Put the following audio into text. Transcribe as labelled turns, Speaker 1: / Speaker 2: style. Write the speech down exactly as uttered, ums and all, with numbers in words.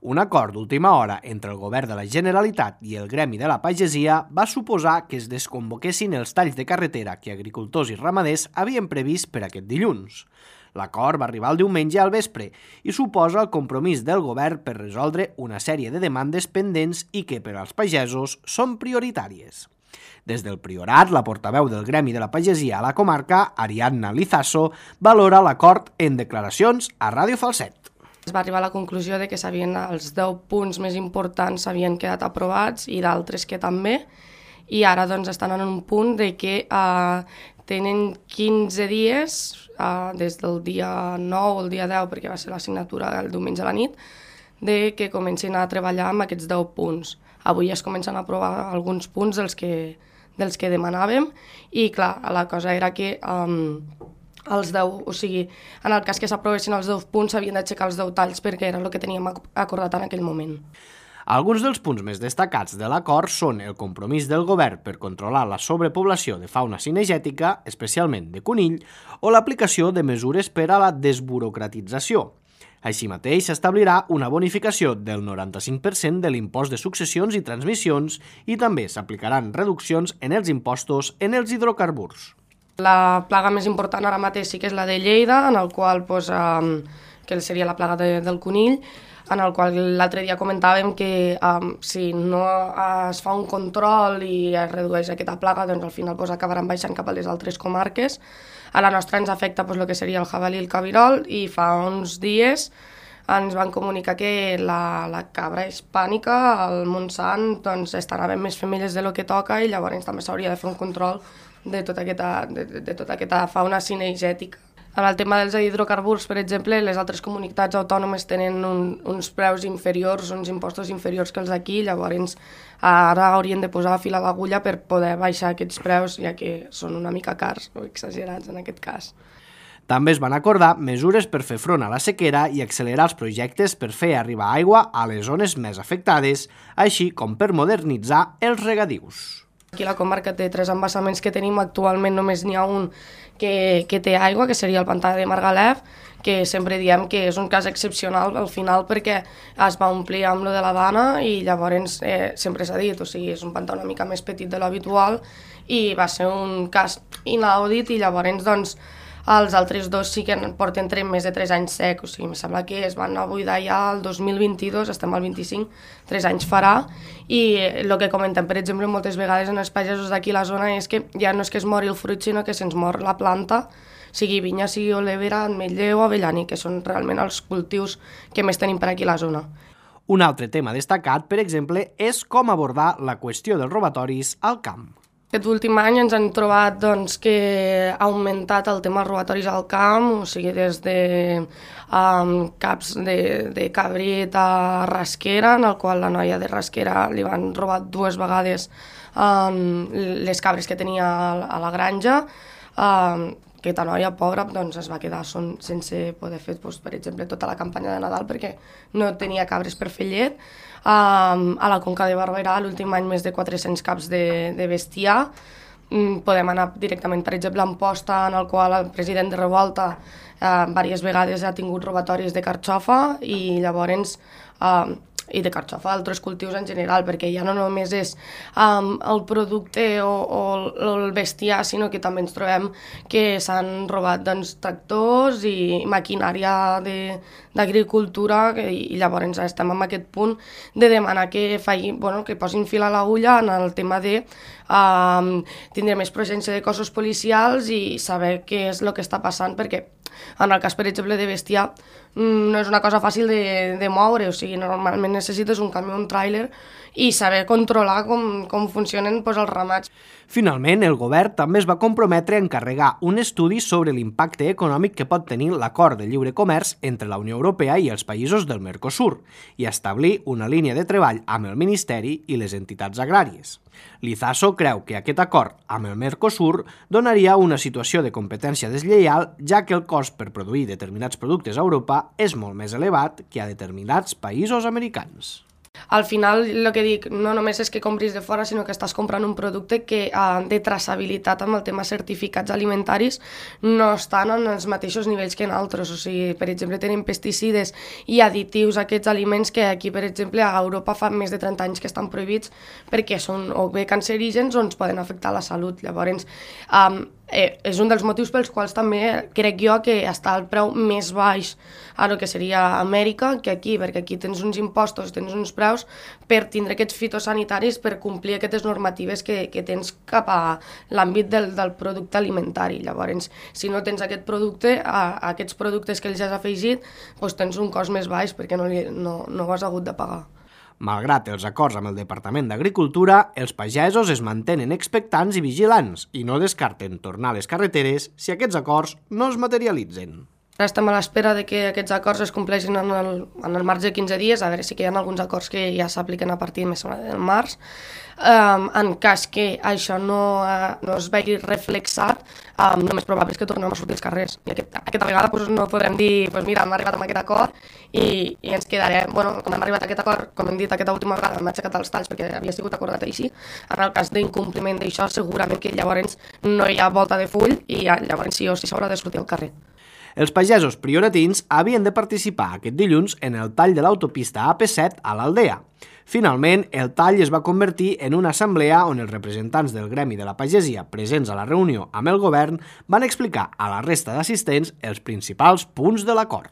Speaker 1: Un acord d'última hora entre el govern de la Generalitat i el gremi de la pagesia va suposar que es desconvoquessin els talls de carretera que agricultors i ramaders havien previst per aquest dilluns. L'acord va arribar el diumenge al vespre i suposa el compromís del govern per resoldre una sèrie de demandes pendents i que per als pagesos són prioritàries. Des del Priorat, la portaveu del gremi de la pagesia a la comarca, Ariadna Lizaso, valora l'acord en declaracions a Ràdio Falset.
Speaker 2: Es va arribar a la conclusió de que s'havien els deu punts més importants s'havien quedat aprovats i d'altres que també, i ara doncs estan en un punt de que eh, tenen quinze dies, eh, des del dia nou o el dia deu, perquè va ser la signatura el diumenge a la nit, de que comencin a treballar amb aquests deu punts. Avui es comencen a aprovar alguns punts dels que, dels que demanàvem i clar, la cosa era que um, els deu, o sigui, en el cas que s'aprovessin els deu punts s'havien d'aixecar els deu talls perquè era el que teníem acordat en aquell moment.
Speaker 1: Alguns dels punts més destacats de l'acord són el compromís del govern per controlar la sobrepoblació de fauna cinegètica, especialment de conill, o l'aplicació de mesures per a la desburocratització. Així mateix, s'establirà una bonificació del noranta-cinc per cent de l'impost de successions i transmissions i també s'aplicaran reduccions en els impostos en els hidrocarburs.
Speaker 2: La plaga més important ara mateix sí que és la de Lleida, en el qual, doncs, eh, que seria la plaga de, del conill, en el qual l'altre dia comentàvem que eh, si no es fa un control i es redueix aquesta plaga, doncs al final doncs, acabaran baixant cap a les altres comarques. A la nostra ens afecta doncs, el que seria el jabalí i el cabirol, i fa uns dies ens van comunicar que la, la cabra hispànica, el Montsant, doncs, estan havent més femelles de lo que toca i llavors també s'hauria de fer un control de tota aquesta, de, de tota aquesta fauna cinegètica. En el tema dels hidrocarburs, per exemple, les altres comunitats autònomes tenen un, uns preus inferiors, uns impostos inferiors que els d'aquí, llavors ara haurien de posar fil a l'agulla per poder baixar aquests preus, ja que són una mica cars o exagerats en aquest cas.
Speaker 1: També es van acordar mesures per fer front a la sequera i accelerar els projectes per fer arribar aigua a les zones més afectades, així com per modernitzar els regadius.
Speaker 2: Aquí a la comarca té tres embassaments que tenim, actualment només n'hi ha un que, que té aigua, que seria el pantà de Margalef, que sempre diem que és un cas excepcional al final perquè es va omplir amb lo de la Dana i llavors eh, sempre s'ha dit, o sigui, és un pantà una mica més petit de l'habitual i va ser un cas inaudit i llavors doncs els altres dos sí que porten més de tres anys sec, o sigui, em sembla que es van anar a buidar ja el dos mil vint-i-dos, estem al vint-i-cinc, tres anys farà, i el que comentem, per exemple, moltes vegades en els pagesos d'aquí a la zona és que ja no és que es mori el fruit, sinó que se'ns mor la planta, sigui vinya, sigui olivera, ametller o avellaní, que són realment els cultius que més tenim per aquí a la zona.
Speaker 1: Un altre tema destacat, per exemple, és com abordar la qüestió dels robatoris al camp.
Speaker 2: Aquest últim any ens han trobat doncs, que ha augmentat el tema dels robatoris al camp, o sigui, des de um, caps de, de cabrit a rasquera, en el qual la noia de rasquera li van robar dues vegades um, les cabres que tenia a la granja. Um, aquesta noia, pobra, doncs, es va quedar son, sense poder fer, doncs, per exemple, tota la campanya de Nadal perquè no tenia cabres per fer llet. Um, a la Conca de Barberà, l'últim any, més de quatre-cents caps de, de bestiar. Um, podem anar directament, per exemple, a Amposta, en el qual el president de Revolta uh, diverses vegades ha tingut robatoris de carxofa i llavors... Uh, i de carxofa, altres cultius en general, perquè ja no només és um, el producte o, o el bestiar, sinó que també ens trobem que s'han robat doncs, tractors i maquinària d'agricultura i llavors estem en aquest punt de demanar que, faci, bueno, que posin fil a l'agulla en el tema de um, tindre més presència de cossos policials i saber què és el que està passant, perquè en el cas, per exemple, de bestiar, no és una cosa fàcil de, de moure, o sigui, normalment necessites un camió, un tràiler i saber controlar com, com funcionen doncs, els ramats.
Speaker 1: Finalment, el govern també es va comprometre a encarregar un estudi sobre l'impacte econòmic que pot tenir l'acord de lliure comerç entre la Unió Europea i els països del Mercosur i establir una línia de treball amb el Ministeri i les entitats agràries. Lizaso creu que aquest acord amb el Mercosur donaria una situació de competència deslleial, ja que el cost per produir determinats productes a Europa és molt més elevat que a determinats països americans.
Speaker 2: Al final, el que dic, no només és que compris de fora, sinó que estàs comprant un producte que uh, de traçabilitat amb el tema certificats alimentaris no estan en els mateixos nivells que en altres. O sigui, per exemple, tenen pesticides i additius a aquests aliments que aquí, per exemple, a Europa fa més de trenta anys que estan prohibits perquè són o bé cancerígens o ens poden afectar la salut. Llavors, um, eh, és un dels motius pels quals també crec jo que està el preu més baix a el que seria Amèrica que aquí, perquè aquí tens uns impostos, tens uns preus per tindre aquests fitosanitaris per complir aquestes normatives que, que tens cap a l'àmbit del, del producte alimentari. Llavors, si no tens aquest producte, a, a aquests productes que els has afegit, doncs tens un cost més baix perquè no, li, no, no ho has hagut de pagar.
Speaker 1: Malgrat els acords amb el Departament d'Agricultura, els pagesos es mantenen expectants i vigilants i no descarten tornar a les carreteres si aquests acords no es materialitzen.
Speaker 2: Ara estem a l'espera de que aquests acords es compleixin en el, en el marge de quinze dies, a veure si que hi ha alguns acords que ja s'apliquen a partir més del març. Um, en cas que això no, uh, no es vegi reflexat, um, el més probable és que tornem a sortir als carrers. I aquest, aquesta vegada pues, no podrem dir, pues, mira, hem arribat a aquest acord i, i ens quedarem, bueno, com hem arribat a aquest acord, com hem dit aquesta última vegada, hem aixecat els talls perquè havia sigut acordat així. En el cas d'incompliment d'això, segurament que llavors no hi ha volta de full i llavors sí o sí s'haurà de sortir al carrer.
Speaker 1: Els pagesos prioratins havien de participar aquest dilluns en el tall de l'autopista A P set a l'Aldea. Finalment, el tall es va convertir en una assemblea on els representants del gremi de la pagesia presents a la reunió amb el govern van explicar a la resta d'assistents els principals punts de l'acord.